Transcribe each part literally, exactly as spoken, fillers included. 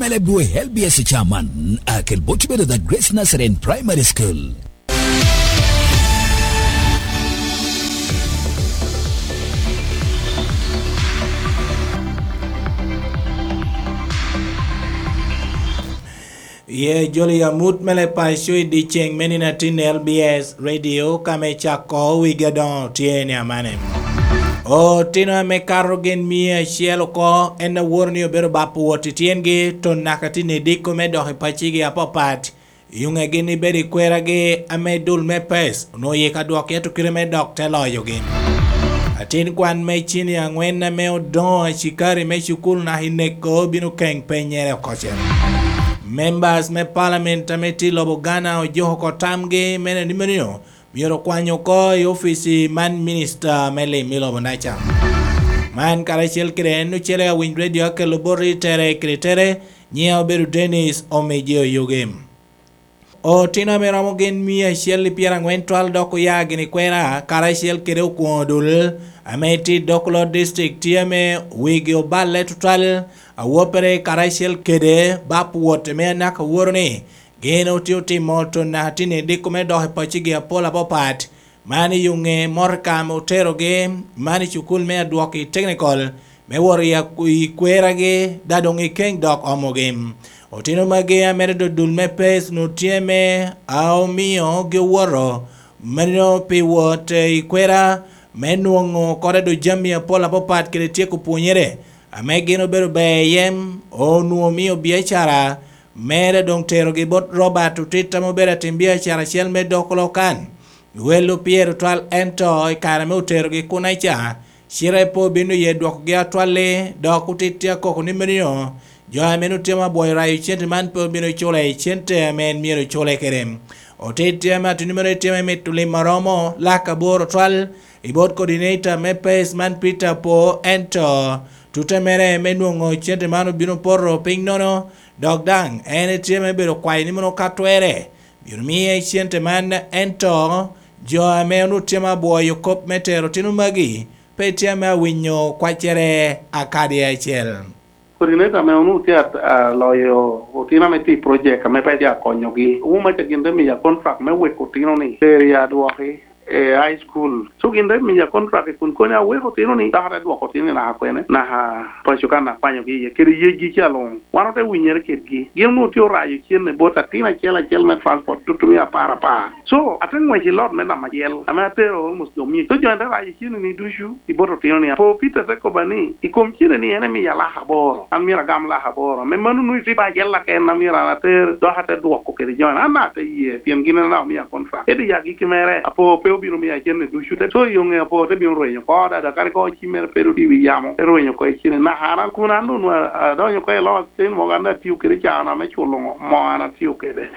L B S chairman, akel bot bedo the Grace Nazarene Primary School. Ye joli amut me le paco i dyeceŋ me nino atin L B S Radio ka me cako wigi adoŋo tye ni amane. Otino ame kato gin mia acel oko en aworo ni obedo bapo wot i tyengi, to naka tye ni diko me dok i pacigi apapat. Yuŋe gin ibedo i kweragi ame dul me pes onwoŋo yika dwok yeto kite me dok te loyogi. Atin kwan me cini aŋwen ame odoŋo acikari me cukul naka i neko bino keŋ penyere oko cen. Members me parliament ame tye i lobo Ghana ojuko oko tamgi me nino myero okwany oko i ofici man minista me lim i lobo Naca. Man karacel kede en ocele awiny redio akelo boti tere kede tere, nyiŋe obedo Dennis Omeje Oyugi. Otino ame romo gin mia acel i pyeraŋwen twal dok oya gin i kwera, karacel kede okwoŋo dul ame tye i Dokolo District tye ame wigi oballe tutwal, awoppere karacel kede bap wot ame anaka woro ni gin otye otimo tonna tini diko me dok i pacigi apol apapat, man i yuŋe motoka ame oterogi, man i cukul me adwok i teknikol, me wot i ak-, i kweragi, da doŋ i keŋ dok omogi. Otino magi ame dodul me pes onwoŋo tye me a omio gi owoto, meno pi wot i kwera me nwoŋo kore do jami apol apapat kede tyeko pwonyere, ame gin obedo ber iye, onwoŋo omio biacara, mere doŋ terogi bot Robert Otit ame obedo atim biacara acel me dok lokan. Wel opyero twal ento i kare ame oterogi kuneca, cite pe obino ye dwokogi atwalli, dok otitti akoko ni meno jo ame nwoŋo tye ma bwoyo rayo cente man pe obino cule i cente ame en myero cule kede. Otitti ame ateni meno itye me mito lim aromo lak aboro twal i bot coordinator me pes man Peter Po, ento tute mere me nwoŋo cente man obino poto piny nono, dok daŋ en itye me bedo kwayo ni mono ka twere, myero miye cente man, ento jo ame onwoŋo tye ma bwoyo kop me tero otino magi, pe tye ame awinyo kwaccere akadi acel. Coordinator ame onwoŋo tye at-, aloyo otino ame tye i project ame pe tye akonyogi. Owuma ca gin te miya contract me weko otino ni tero i adwoki, eh, high school. So gin te miya contract kun konya aweko otino ni, dok ate dwoko otino ni naka kwene, naka paco kan akwanyogi iye, kede yecgi ca luŋ. Wan ote winyere kedgi. Gin onwoŋo tye orayo cene bot atin acel acel me transport, tutumia apar apar. So, ate ngwec i lot me namba acel, ame atero almost jo mic. So, jo te rayo cene ni ducu i bot otino ni. Apo Peter te kobba ni, i kom cene ni en emiya lak aboro. An myero agam lak aboro. Me mano nwoŋo itye ba acel laken, an myero an ater, dok ate dwoko kede jo. An ate ye, pien gin en daŋ omia contract. Ento i agikki mere, apo pe obino miya cene ducu. Te, so, i yoŋe apo te bino rwenyo oko, dada, kadi ko cimmere pe dok i wi yamo, te rwenyo oko i cene. Naka an, an kun an onwoŋo a-, adonyo oko i loka, cen mogo an atio kede can ame culo ŋo, moo an atio kede.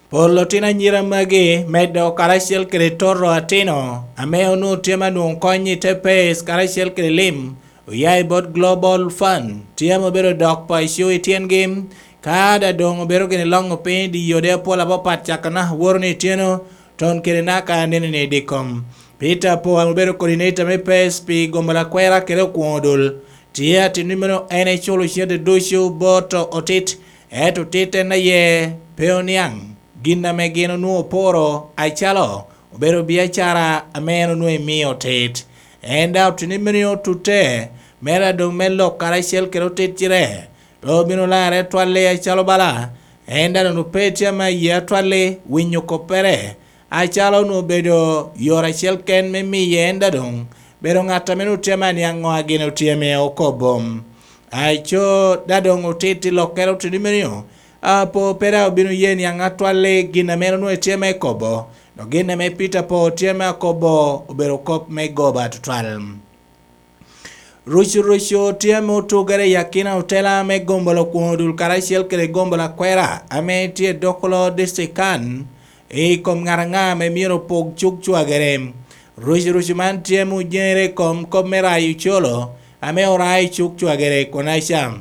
Pol otino anyira magi, medo karacel kede toto atino, ame onwoŋo tye ma nwoŋo kony i te pes karacel kede lim, oya i bot Global Fund, tye ame obedo dok paco i tyengi, ka da doŋ obedo gini loŋo piny i dye yode apol apapat caka naka woro ni ityeno, ton kede naka nene ni i dikkom. Peter Po ame obedo coordinator me pes pi gombolokwera kede okwoŋo dul, tye ateni meno en eculo cente ducu bot otit, ento otit en aye pe oniaŋ gin ame gin onwoŋo oporo, acalo obedo biacara ame en onwoŋo emio otit. En daŋ oteni meno otute, mere adoŋ me lok karacel kede otit cire, pe obino larre atwalli acalo bala, en daŋ onwoŋo pe tye ame aye atwalli winyo koppere, acalo onwoŋo obedo yore acel ken me miye en daŋ doŋ bedo ŋat ame onwoŋo tye ame aniaŋ ŋo a gin otye ame okobo. Aco daŋ doŋ otit i lokkere oteni meno, apo pe daŋ obino ye niaŋ atwalli gin ame en onwoŋo etye ame ekobo, dok gin ame Peter Po tye ame akobo obedo kop me goba tutwal. Rucurucu tye ame otugere i akina otela me gombolo kwoŋo dul karacel kede gombolo akwera ame tye i Dokolo District kan, i kom ŋat aŋa ame myero opog cuk cwagere. Rucurucu man tye ame ojeŋere i kom kop me rayo ocolo ame orayo i cuk cwagere i Konaca.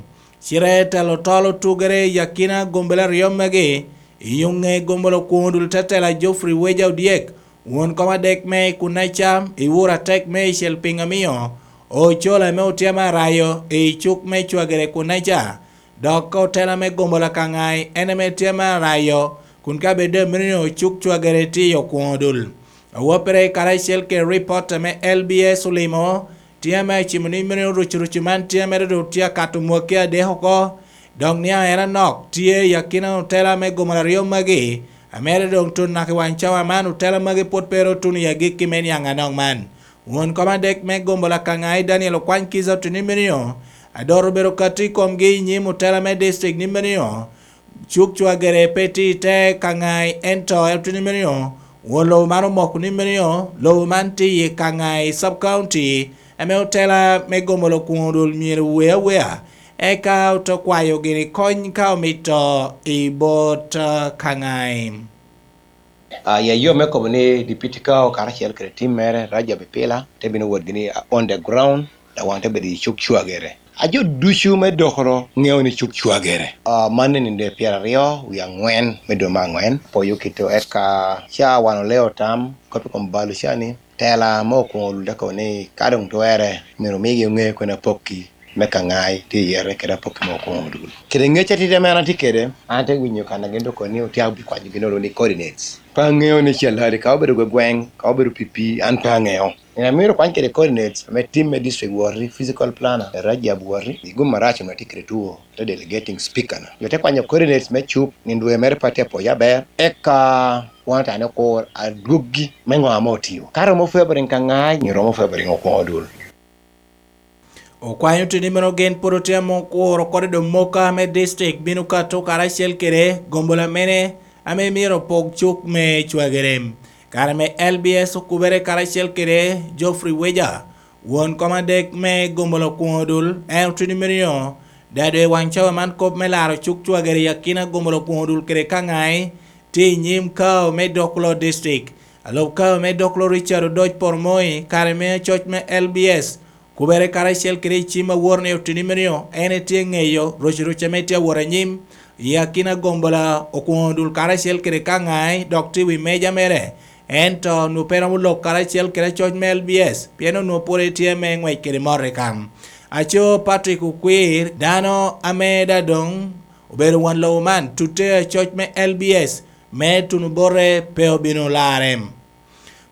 Cite telo tol otugere i akina gombolo aryo magi, i yuŋe gombolo kwoŋo dul tetela Geoffrey Weja Odyek, won kom adek me i Kunaca, i wur atek me i Celping Amiyo, ocol ame otye ame arayo i cuk me cwagere Kunaca, Dok otela me gombolola Kangai en ame tye me arayo, kun ka bed doŋ meno cuk cwagere tye i Okwongo Dul. Awoppere karacel kede ripot ame L B S olimo, tye ame acimo ni meno rucurucu man tye mere doŋ tye akato mwaki adek oko, dok niaŋ en anok tye i akina otela me gombolola aryo magi, ame doŋ tun naka i waŋ cawa man otela magi pwod pe ru otuno i agikki me niaŋ anok man. Won kom adek me gombolola Kangai Daniel Okwany Kiza oteni meno, adot obedo kato i komgi i nyim otela me district ni meno, cuk cwagere pe tye i te Kangai, ento en oteni meno, won lobo man omoko ni meno, lobo man tye i Kangai Sub County, ame otela me gombolola Okwongo Dul myero owe awea, eka ote kwayo gini kony ka omito i bot, ah, Kangai. Ah, ya yo me kobo ni Deputy Kao karacel kede tim mere, Rajab Ipila, te bino wot gini, ah, on the ground, dok wan te bedo i cuk cwagere. A jo ducu me Dokoro ŋeo ni cuk cwagere. Ah, man ni nino pyeraryo wie aŋwen me dwe me aŋwen, poyo kite eka ca wan oleo tam, kop i kom balo ca ni, tela me Okwongo Dul te kobo ni ka doŋ twerre, myero omigi oŋe kwene apokki me Kangai tye i yete kede apokki me Okwongo Dul. Kede ŋec atidi ame an atye kede, an ate winyo kan a gin doŋ kono ni otye abikwanyo gin olo ni coordinates. Pe aŋeo ni Calari ka obedo gwegweng, ka obedo pii pii, an pe aŋeo. Gin amito kwany kede coordinates ame tim me district woti, physical planner, Rajab woti, i gum marac onwongo tye kede two, te delegating speaker na. Jo te kwanyo coordinates me cuk, nino dwe mere pe atye apoyo aber, eka wan otane okur adwoggi me ŋo ame otio. Ka romo favoring Kangai, nyo romo favoring Okwongo Dul. Okwanyo teni meno gin pwod otye ame okuro kodi doŋ moka me district bino kato karacel kede gombolola mene ame myero opok cuk me cwagere. Kare me L B S okubere karacel kede Geoffrey Weja, won kom adek me gombolola Okwongo Dul, en oteni meno, dado i waŋ cawa man kop me laro cuk cwagere i akina gombolola Okwongo Dul kede Kangai, tye i nyim Kao me Dokolo District. Alub Kao me Dokolo Richard Odoc Poromoi, kare me acoc me L B S, kubere karacel kede i cim awor ni oteni meno, en etye ŋeyo roc roc ame tye awot anyim, i akina gombolola Okwongo Dul karacel kede Kangai, dok tye i wi meja mere. Ento onwongo pe romo lok karacel kede acoc me L B S, pien onwongo pwod etye me ŋwec kede mot i kam. Aco Patrick Okwir, dano ame daŋ doŋ obedo won lobo man, tutte acoc me L B S, me tuno bote pe obino larre.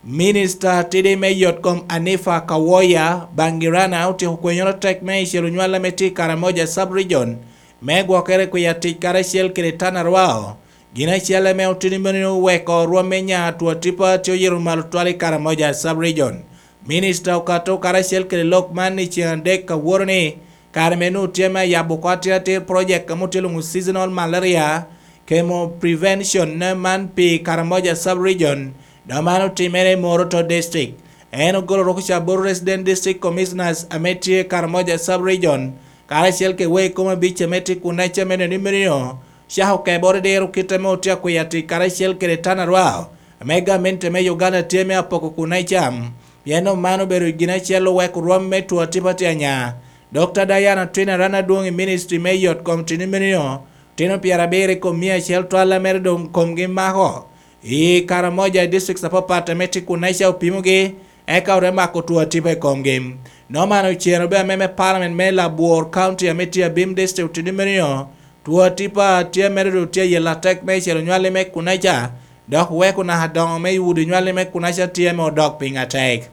Minista tidi me yot kom Anifa Kawoya Bangirana otyeko kwenyoro tek me icel onywal ame tye i Karamoja Sub-Region me gwokere kwi atic karacel kede Tanarwao, gin acel ame oteni meno oweko rwom me nya Twatipa tye oyito malo twal i Karamoja Sub-Region. Minista okato karacel kede lok man i ceng adek aworo ni, kare me nwoŋo tye me ayabo oko atir atir project ame otye lwoŋo seasonal malaria, chemo prevention ne man pi Karamoja Sub-Region, dok man otimere i Moroto District. En ogolo roko ca bot Resident District Commissioners ame tye Karamoja Sub-Region, karacel kede wegi kom abic ame tye kun aca me neno ni meno cako keboro diro kit ame otye akwia tic karacel kede Tanarwao, ame gamente me Uganda tye me apoko kun acam. Pien dok man obedo gin acel oweko rwom me two atipa tye anya. Dokta Diana Twin Arana adwoŋ i ministry me yot kom tini meno, tino pyerabiro i kom mia acel twal a mere doŋ komgi mako. I Karamoja districts apapat ame tye kun aca opimogi, eka ote mako two atipa i komgi. Noma ocero be ame me parliament me Labwor County ame tye Abim District oteni meno, two atipa tye mere doŋ tye ayela tek me celo nywalli me kun aca, dok weko naka doŋo me wudi nywalli me kun aca tye me odok piny atek.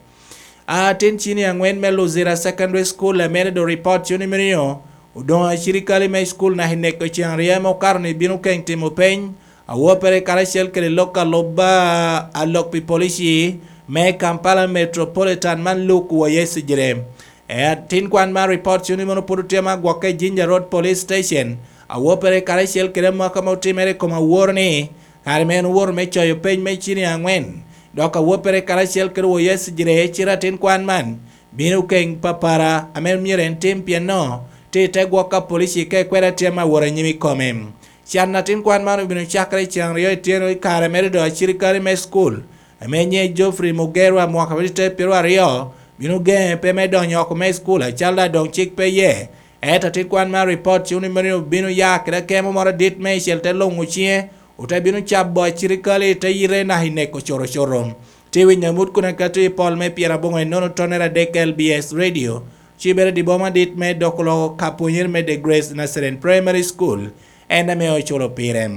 Atin cini aŋwen me Luzira Secondary School ame doŋ report cuni meno, odoŋo acirikali me school naka i neko ceŋ aryo ame okato ni bino keŋ timo peny, awoppere karacel kede lok alubba a lok pi polici me Kampala Metropolitan man Luke Woyesi Jire. E atin kwan man report cuni meno pwod otye ma agwokke i Jinja Road Police Station, awoppere karacel kede amaka ma otimere i kom aworo ni, kare ma en owoto me coyo peny me cini aŋwen, dok awoppere karacel kede Woyesi Jire cite atin kwan man, bino keŋ papara ame myero en tim pien no, tye i te gwok ka polici ka ekweda tye ma awot anyim i kome. Can atin kwan man obino cakere i ceŋ aryo i tyeno i kare mere doŋ acirikali me school, ame nyiŋe Geoffrey Mugerwa mwaka me tye pyero aryo, bino geŋe pe me donyo oko me school acalo daŋ doŋ cik pe iye. Ento atin kwan man report cuni meno obino ya kede akemo moro adit me icel te luŋo ciŋe, ote bino cabo acirikali te yite naka i neko coto coto. Tye winyo amut kun akato i pol me pyeraboŋo enono tonere adek L B S Radio, Cibere di boma dit me doko loko ka pwonyere me The Grace Nazarene Primary School, en ame oculo pire.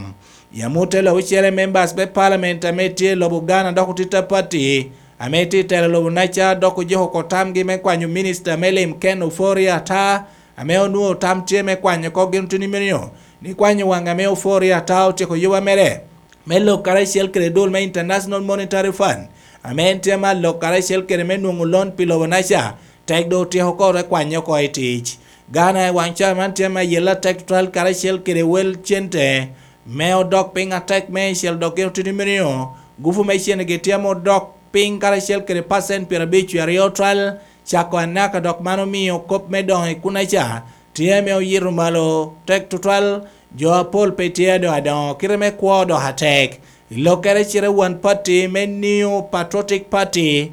I amut te lok ocele, members me parliament ame tye i lobo Ghana dok otita pati ame tye i telo lobo naca dok ojiko oko tamgi me kwanyo minista me lim Ken Ofori Atta, ame onwoŋo tam tye me kwanyo oko gin oteni menio ni kwanyo waŋ ame Ofori Atta otyeko yuba mere me lok karacel kede dul me International Monetary Fund, ame en tye me alok karacel kede me nwoŋo lon pi lobo naca, tek doŋ otyeko oko te kwanye oko i tic. Ghana i waŋ ca man tye me ayela tek tutwal karacel kede wel cente me odok piny atek me icel dok gin otiti milio. Gupu me cene gi tye me odok piny karacel kede pacent pyerabic wie aryo twal cako anaka, dok man omio kop me doŋo i kunaca tye me oyito malo tek tutwal. Jo apol pe tye ado adoŋo kite me kwo dok atek. I lokkere cite, wan pati me New Patriotic Party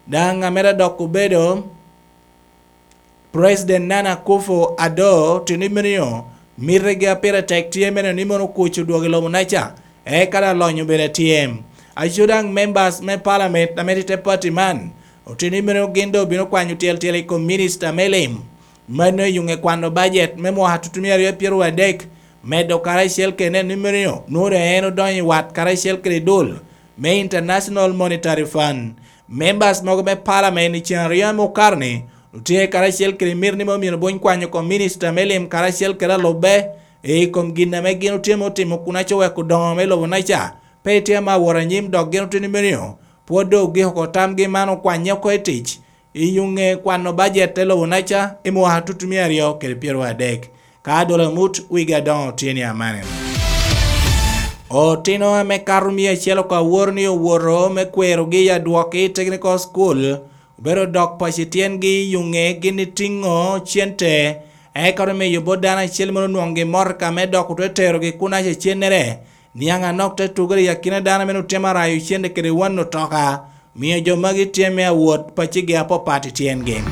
daŋ amito dok obedo President Nana Akufo-Addo oteni menio mitegi a pire tek tye mene ni mono kuc odwog i lobo naca, eka daŋ lony obedo atyem. Aco daŋ members me parliament ame tye te pati man oteni menio gin doŋ obino kwanyo tyel tyel i kom minista me lim. Mano i yuŋe kwano bajet me mwaka tutumia aryo pyeraryo adek, medo karacel kede neno ni menio nwoŋo doŋ en odonyo i wat karacel kede dul me International Monetary Fund. Members mogo me parliament i cen aryo ame okato-ni otye karacel kede mito ni me omyero buny kwanyo kom minista me lim karacel kede alubbe i kom gin ame gin otye me otimo kun aco weko doŋo me lobo naca pe tye ame awot anyim, dok gin oteni menio pwod doŋ ogiko oko tamgi man okwanye oko i tic i yuŋe kwano bajet te lobo naca i mwaka tutumia aryo kede pyeraryo adek. Ka adolo amut wigi adoŋo tye ni amane. Otino ame kato mia acel oko aworo ni owoto me kwerogi i adwokgi i Technical School obedo dok paco i tyengi i yuŋe gin itiŋo cente, eka ote miyo bot dano acel moro onwoŋgi motoka me dok otwe terogi kun aca cennere. Niaŋ anok te tugere i akina dano ame otemo arayo cente kede wan otoka, mio jo magi tye me awot pacigi apapat i tyengi.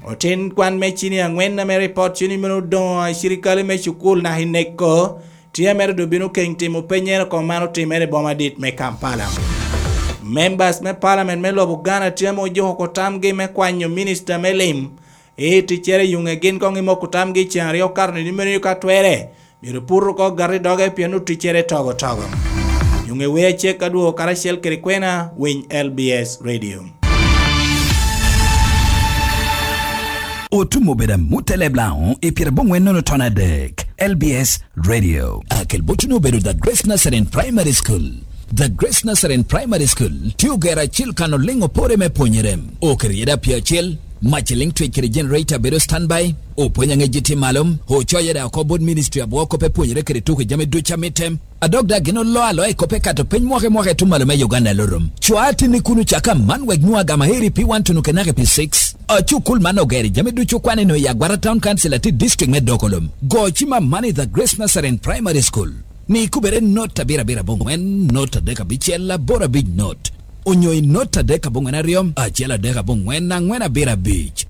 Otin kwan me cini aŋwen ame ripot cini mene odoŋo i cirikali me cukul naka i neko, tye mere doŋ bino keny timo penyere oko man otimere i boma dit me Kampala. Members me parliament me lobo Ghana tye ame ojuko oko tamgi me kwanyo minista me lim i ticcere i yuŋe gin koŋ imoko tamgi i cen aryo kato ni mene ka twere. Myero put oko gati doge pien oticcere togo togo. Nyuŋ iwe acek adwogo karacel kede kwena, winy L B S Radio. Otum obedo amut te leb Laŋo i pyeraboŋwen nono ton adek, L B S Radio. Akel botuni obedo The Grace Nazarene Primary School. The Grace Nazarene Primary School tye ogero acil kan oliŋ opore me pwonyere. Oketo yeda pye acel, mac eliŋ twec kede generator bedo standby, opwony aŋec tye malo, ocoye da oko bot ministry abwo kop epwonyere kede tuko jami ducu amitte. Adok da gin olo aloa i kop ekato piny mwaka i mwaka etum malo me Uganda Lorum. Cwa atinni kun ocaka man wek nwoŋ agama heri pi wan tunu kenake pi six. Acukul man ogeri jami ducu kwan ino i Agwara Town Council ati district me Dokolum. Go cima man i The Grace Nazarene Primary School. Ni kubere not abiro abiro aboŋwen, not adek abicel, aboro abic not. Onyo i not adek aboŋwen aryo, acel adek aboŋwen, aŋwen abiro abic.